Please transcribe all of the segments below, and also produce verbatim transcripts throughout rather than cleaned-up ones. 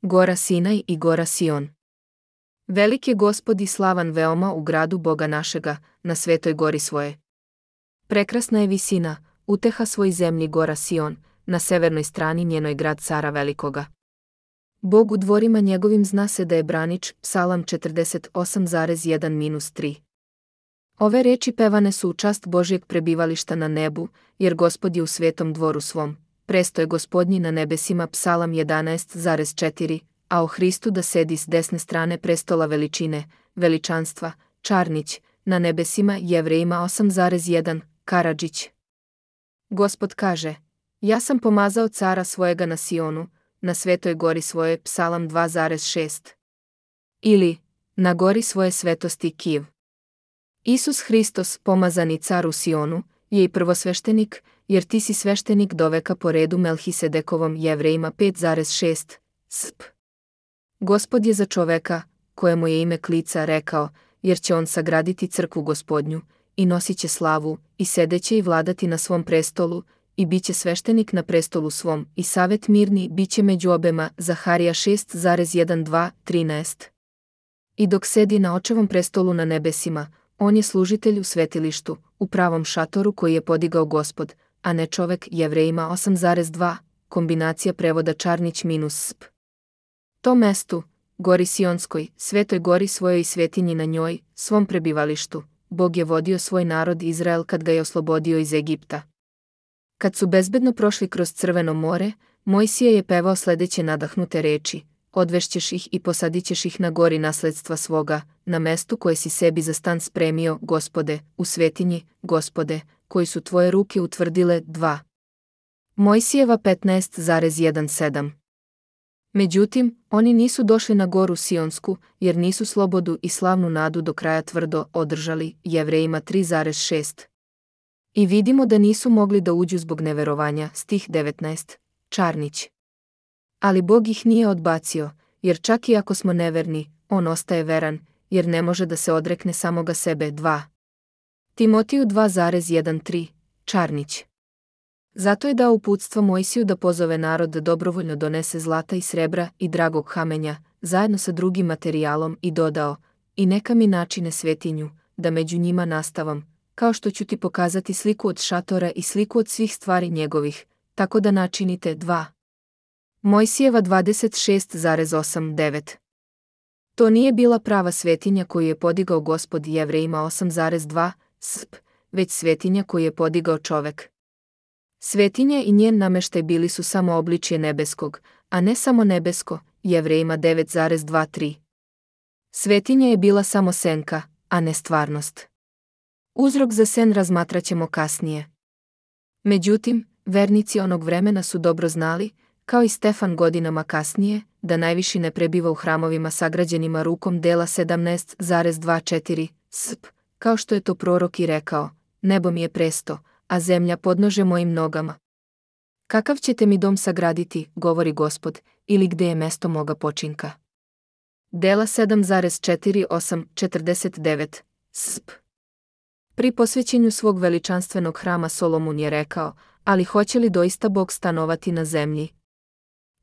Gora Sinaj i gora Sion. Velik je Gospod i slavan veoma u gradu Boga našega, na svetoj gori svoje. Prekrasna je visina, uteha svoj zemlji gora Sion, na severnoj strani njenoj grad cara velikoga. Bog u dvorima njegovim zna se da je branič, Psalam četrdeset osam jedan tri. Ove reči pevane su u čast Božjeg prebivališta na nebu, jer Gospod je u svetom dvoru svom, presto je Gospodnji na nebesima Psalam jedanaest četiri, a o Hristu da sedi s desne strane prestola veličine, veličanstva, Čarnić, na nebesima Jevrejima osam jedan, Karadžić. Gospod kaže, ja sam pomazao cara svojega na Sionu, na svetoj gori svoje Psalam dva šest. Ili, na gori svoje svetosti Kiv. Isus Hristos, pomazani car u Sionu, je i prvosveštenik, jer ti si sveštenik do veka po redu Melhisedekovom Jevrejima pet šest, sp. Gospod je za čoveka, kojemu je ime Klica, rekao, jer će on sagraditi crkvu Gospodnju, i nosit će slavu, i sedeće i vladati na svom prestolu, i bit će sveštenik na prestolu svom, i savet mirni bit će među obema, Zaharija šest jedan dva trinaest. I dok sedi na očevom prestolu na nebesima, on je služitelj u svetilištu, u pravom šatoru koji je podigao Gospod, a ne čovek. Jevrejima osam dva, kombinacija prevoda Čarnić minus sp. To mestu, gori Sionskoj, svetoj gori svojoj i svetinji na njoj, svom prebivalištu, Bog je vodio svoj narod Izrael kad ga je oslobodio iz Egipta. Kad su bezbedno prošli kroz Crveno more, Mojsije je pevao sledeće nadahnute reči: odvešćeš ih i posadićeš ih na gori nasledstva svoga, na mestu koje si sebi za stan spremio, Gospode, u svetinji, Gospode, koji su tvoje ruke utvrdile. dva. Mojsijeva petnaest sedam. Međutim, oni nisu došli na goru Sionsku, jer nisu slobodu i slavnu nadu do kraja tvrdo održali. Jevrejima tri šest. I vidimo da nisu mogli da uđu zbog neverovanja. Stih devetnaest. Čarnić. Ali Bog ih nije odbacio, jer čak i ako smo neverni, on ostaje veran, jer ne može da se odrekne samoga sebe. dva. Timotiju dva tri. Čarnić. Zato je dao uputstvo Mojsiju da pozove narod da dobrovoljno donese zlata i srebra i dragog kamenja, zajedno sa drugim materijalom, i dodao, i neka mi načine svetinju, da među njima nastavam, kao što ću ti pokazati sliku od šatora i sliku od svih stvari njegovih, tako da načinite. dva. Mojsijeva dvadeset šest osam devet. To nije bila prava svetinja koju je podigao Gospod. Jevrejima osam dva, sp, već svetinja koju je podigao čovek. Svetinja i njen nameštaj bili su samo obličje nebeskog, a ne samo nebesko. Jevrejima devet dva tri. Svetinja je bila samo senka, a ne stvarnost. Uzrok za sen razmatraćemo kasnije. Međutim, vernici onog vremena su dobro znali, kao i Stefan godinama kasnije, da najviši ne prebiva u hramovima sagrađenima rukom dela sedamnaest dvadestet četiri, sp, kao što je to prorok i rekao, nebo mi je presto, a zemlja podnože mojim nogama. Kakav ćete mi dom sagraditi, govori Gospod, ili gde je mesto moga počinka? Dela sedam četiri osam četrdeset devet, sp. Pri posvećenju svog veličanstvenog hrama Solomun je rekao, ali hoće li doista Bog stanovati na zemlji?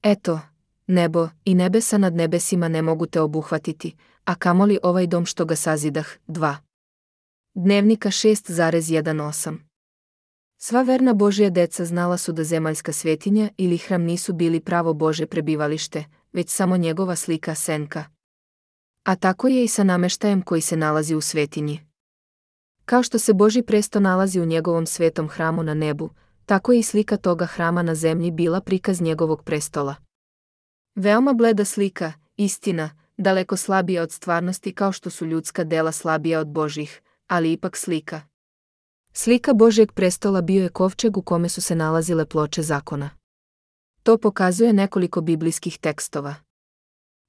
Eto, nebo i nebesa nad nebesima ne mogu te obuhvatiti, a kamoli ovaj dom što ga sazidah. dva. Dnevnika šest osam. Sva verna Božja deca znala su da zemaljska svetinja ili hram nisu bili pravo Božje prebivalište, već samo njegova slika senka. A tako je i sa nameštajem koji se nalazi u svetinji. Kao što se Božji presto nalazi u njegovom svetom hramu na nebu, tako je i slika toga hrama na zemlji bila prikaz njegovog prestola. Veoma bleda slika, istina, daleko slabija od stvarnosti, kao što su ljudska dela slabija od Božjih, ali ipak slika. Slika Božjeg prestola bio je kovčeg u kome su se nalazile ploče zakona. To pokazuje nekoliko biblijskih tekstova.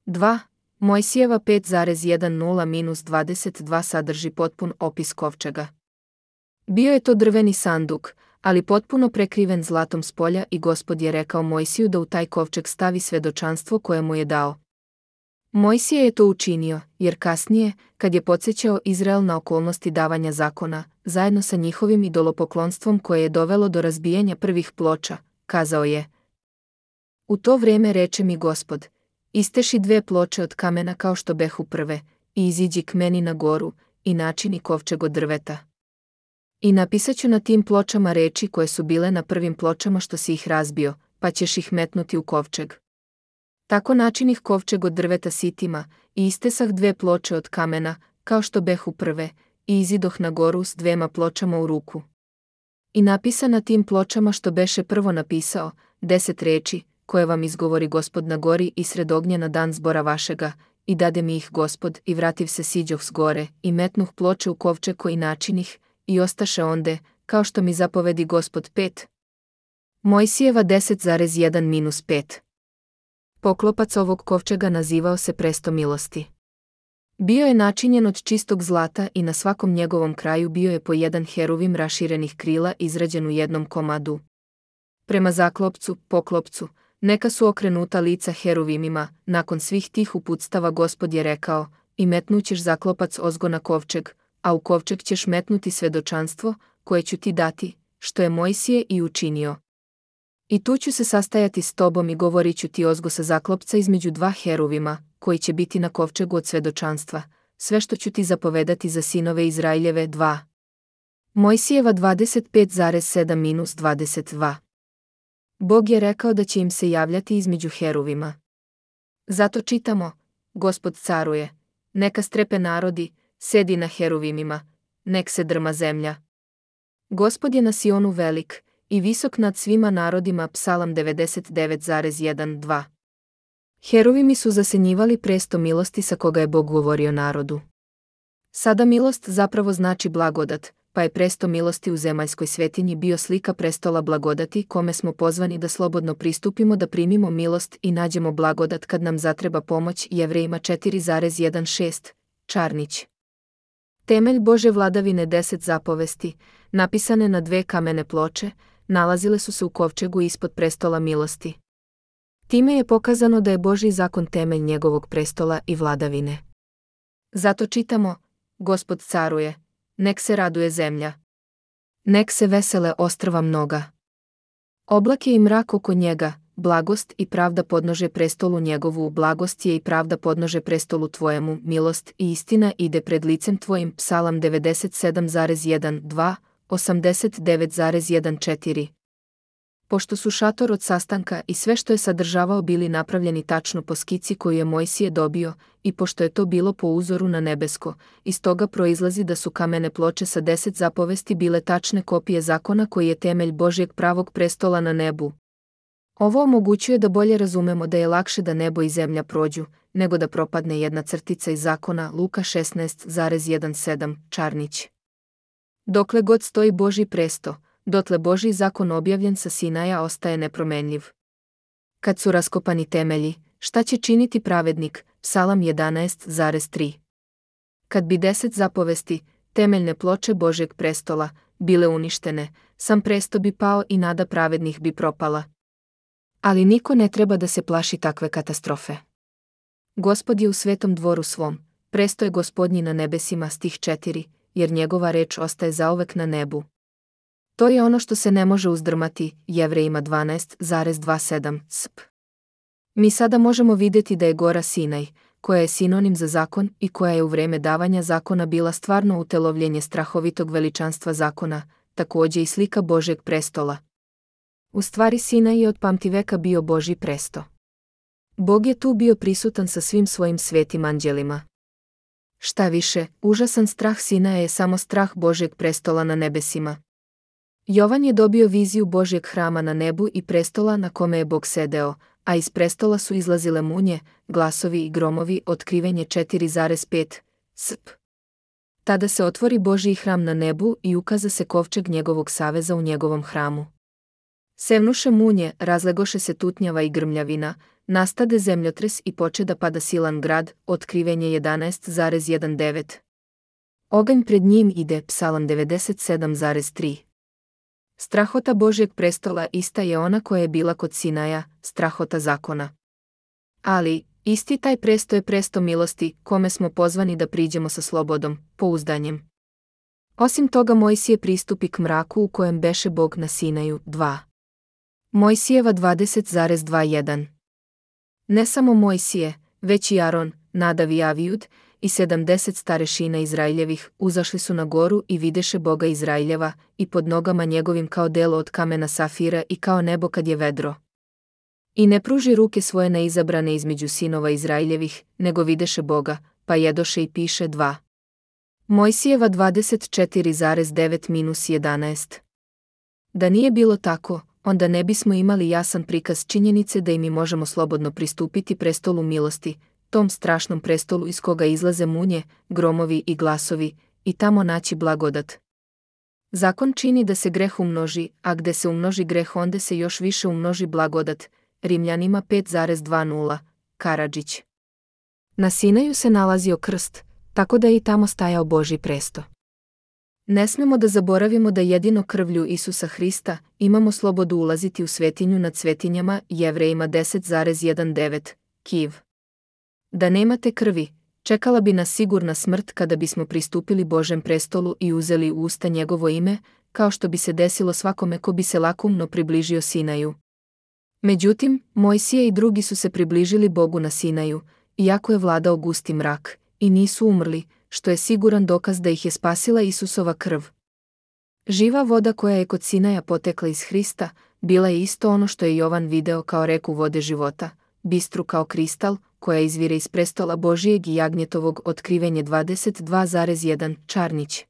dva. Mojsijeva pet jedan dvadeset dva sadrži potpun opis kovčega. Bio je to drveni sanduk, ali potpuno prekriven zlatom s polja, i Gospod je rekao Mojsiju da u taj kovčeg stavi svedočanstvo koje mu je dao. Mojsije je to učinio, jer kasnije, kad je podsjećao Izrael na okolnosti davanja zakona, zajedno sa njihovim idolopoklonstvom koje je dovelo do razbijanja prvih ploča, kazao je: U to vrijeme reče mi Gospod, Isteši dve ploče od kamena kao što behu prve, i iziđi k meni na goru, i načini kovčeg od drveta. I napisaću na tim pločama reči koje su bile na prvim pločama što si ih razbio, pa ćeš ih metnuti u kovčeg. Tako načinih kovčeg od drveta sitima, i istesah dve ploče od kamena, kao što behu prve, i izidoh na goru s dvema pločama u ruku. I napisa na tim pločama što beše prvo napisao, deset reči, koje vam izgovori Gospod na gori i sred ognja na dan zbora vašega, i dade mi ih Gospod, i vrativ se siđoh s gore, i metnuh ploče u kovčeg koji načinih, i ostaše onde, kao što mi zapovedi Gospod pet. Mojsijeva deset zarez jedan minus pet. Poklopac ovog kovčega nazivao se presto milosti. Bio je načinjen od čistog zlata i na svakom njegovom kraju bio je po jedan heruvim raširenih krila izrađen u jednom komadu. Prema zaklopcu, poklopcu, neka su okrenuta lica heruvimima, nakon svih tih uputstava Gospod je rekao, i metnućeš zaklopac ozgo na kovčeg, a u kovčeg ćeš metnuti svedočanstvo, koje ću ti dati, što je Mojsije i učinio. I tu ću se sastajati s tobom i govorit ću ti ozgo sa zaklopca između dva heruvima, koji će biti na kovčegu od svedočanstva, sve što ću ti zapovedati za sinove Izraeljeve dva. Mojsijeva dvadeset pet zarez sedam minus dvadeset dva. Bog je rekao da će im se javljati između heruvima. Zato čitamo, Gospod caruje, neka strepe narodi, sedi na heruvimima, nek se drma zemlja. Gospod je na Sionu velik, i visok nad svima narodima. Psalam devedeset devet zarez jedan dva. Heruvimi su zasenjivali presto milosti sa koga je Bog govorio narodu. Sada milost zapravo znači blagodat, pa je presto milosti u zemaljskoj svetinji bio slika prestola blagodati kome smo pozvani da slobodno pristupimo da primimo milost i nađemo blagodat kad nam zatreba pomoć. Jevrejima četiri zarez jedan šest. Čarnić. Temelj Bože vladavine deset zapovesti, napisane na dve kamene ploče, nalazile su se u kovčegu ispod prestola milosti. Time je pokazano da je Božji zakon temelj njegovog prestola i vladavine. Zato čitamo, Gospod caruje, nek se raduje zemlja. Nek se vesele ostrva mnoga. Oblak je i mrak oko njega, blagost i pravda podnože prestolu njegovu, blagost je i pravda podnože prestolu tvojemu, milost i istina ide pred licem tvojim. Psalam devedeset sedam zarez jedan dva, osamdeset devet zarez jedan četiri. Pošto su šator od sastanka i sve što je sadržavao bili napravljeni tačno po skici koju je Mojsije dobio, i pošto je to bilo po uzoru na nebesko, iz toga proizlazi da su kamene ploče sa deset zapovesti bile tačne kopije zakona koji je temelj Božjeg pravog prestola na nebu. Ovo omogućuje da bolje razumemo da je lakše da nebo i zemlja prođu, nego da propadne jedna crtica iz zakona. Luka šesnaest zarez sedam. Čarnić. Dokle god stoji Božji presto, dotle Božji zakon objavljen sa Sinaja ostaje nepromenljiv. Kad su raskopani temelji, šta će činiti pravednik? Psalam jedanaest zarez tri. Kad bi deset zapovesti, temeljne ploče Božjeg prestola, bile uništene, sam presto bi pao i nada pravednih bi propala. Ali niko ne treba da se plaši takve katastrofe. Gospod je u svetom dvoru svom, presto je Gospodnji na nebesima. Stih četiri, jer njegova reč ostaje zauvek na nebu. To je ono što se ne može uzdrmati. Jevrejima dvanaest zarez dvadeset sedam. Sp. Mi sada možemo vidjeti da je gora Sinaj, koja je sinonim za zakon i koja je u vreme davanja zakona bila stvarno utelovljenje strahovitog veličanstva zakona, također i slika Božjeg prestola. U stvari Sinaj je od pamtiveka bio Božji presto. Bog je tu bio prisutan sa svim svojim svetim anđelima. Šta više, užasan strah Sinaja je samo strah Božjeg prestola na nebesima. Jovan je dobio viziju Božjeg hrama na nebu i prestola na kome je Bog sedeo, a iz prestola su izlazile munje, glasovi i gromovi. Otkrivenje četiri zarez pet. Sp. Tada se otvori Božji hram na nebu i ukaza se kovčeg njegovog saveza u njegovom hramu. Sevnuše munje, razlegoše se tutnjava i grmljavina, nastade zemljotres i poče da pada silan grad. Otkrivenje jedanaest zarez devet. Oganj pred njim ide. Psalam devedeset sedam zarez tri. Strahota Božjeg prestola ista je ona koja je bila kod Sinaja, strahota zakona. Ali, isti taj presto je presto milosti, kome smo pozvani da priđemo sa slobodom, pouzdanjem. Osim toga Mojsije pristupi k mraku u kojem beše Bog na Sinaju. dva. Mojsijeva dvadeset zarez dvadeset jedan. Ne samo Mojsije, već i Aron, Nadav i Avijud, i sedamdeset starešina Izraeljevih uzašli su na goru i videše Boga Izraeljeva, i pod nogama njegovim kao delo od kamena safira i kao nebo kad je vedro. I ne pruži ruke svoje neizabrane između sinova Izraeljevih, nego videše Boga, pa jedoše i piše dva. Mojsijeva dvadeset četiri zarez devet jedanaest. Da nije bilo tako, onda ne bismo imali jasan prikaz činjenice da i mi možemo slobodno pristupiti prestolu milosti, tom strašnom prestolu iz koga izlaze munje, gromovi i glasovi, i tamo naći blagodat. Zakon čini da se greh umnoži, a gde se umnoži greh onda se još više umnoži blagodat. Rimljanima pet zarez dvadeset, Karadžić. Na Sinaju se nalazio krst, tako da je i tamo stajao Božji presto. Ne smemo da zaboravimo da jedino krvlju Isusa Hrista imamo slobodu ulaziti u svetinju nad svetinjama, Jevrejima deset zarez devetnaest, Kiv. Da nemate krvi, čekala bi nas sigurna smrt kada bismo pristupili Božem prestolu i uzeli u usta njegovo ime, kao što bi se desilo svakome ko bi se lakumno približio Sinaju. Međutim, Mojsije i drugi su se približili Bogu na Sinaju, iako je vladao gusti mrak, i nisu umrli, što je siguran dokaz da ih je spasila Isusova krv. Živa voda koja je kod Sinaja potekla iz Hrista, bila je isto ono što je Jovan video kao reku vode života, bistru kao kristal, koja izvire iz prestola Božijeg i jagnjetovog. Otkrivenje dvadeset dva zarez jedan, Čarnić.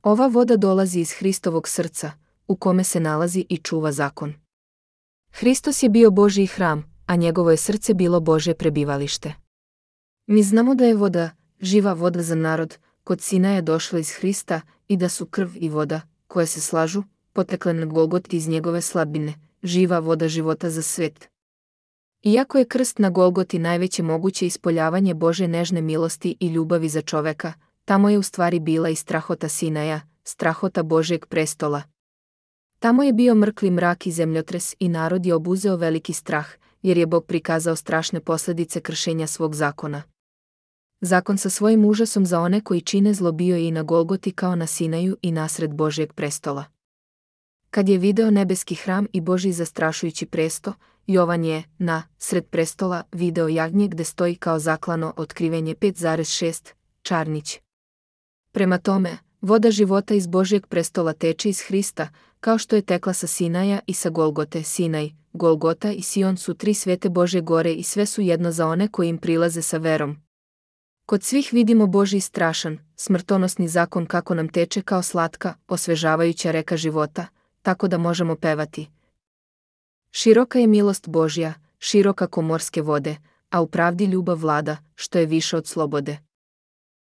Ova voda dolazi iz Hristovog srca, u kome se nalazi i čuva zakon. Hristos je bio Božji hram, a njegovo je srce bilo Božje prebivalište. Mi znamo da je voda, živa voda za narod, kod Sinaja došla iz Hrista i da su krv i voda, koje se slažu, potekle na Golgoti iz njegove slabine, živa voda života za svet. Iako je krst na Golgoti najveće moguće ispoljavanje Božje nežne milosti i ljubavi za čoveka, tamo je u stvari bila i strahota Sinaja, strahota Božjeg prestola. Tamo je bio mrkli mrak i zemljotres i narod je obuzeo veliki strah, jer je Bog prikazao strašne posljedice kršenja svog zakona. Zakon sa svojim užasom za one koji čine zlo bio je i na Golgoti kao na Sinaju i nasred Božjeg prestola. Kad je video nebeski hram i Božji zastrašujući presto, Jovan je, na sred prestola, video jagnje gde stoji kao zaklano. Otkrivenje pet zarez šest, Čarnić. Prema tome, voda života iz Božjeg prestola teče iz Hrista, kao što je tekla sa Sinaja i sa Golgote. Sinaj, Golgota i Sion su tri svete Božje gore i sve su jedno za one koji im prilaze sa verom. Kod svih vidimo Božji strašan, smrtonosni zakon kako nam teče kao slatka, osvežavajuća reka života, tako da možemo pevati. Široka je milost Božja, široka ko morske vode, a u pravdi ljubav vlada, što je više od slobode.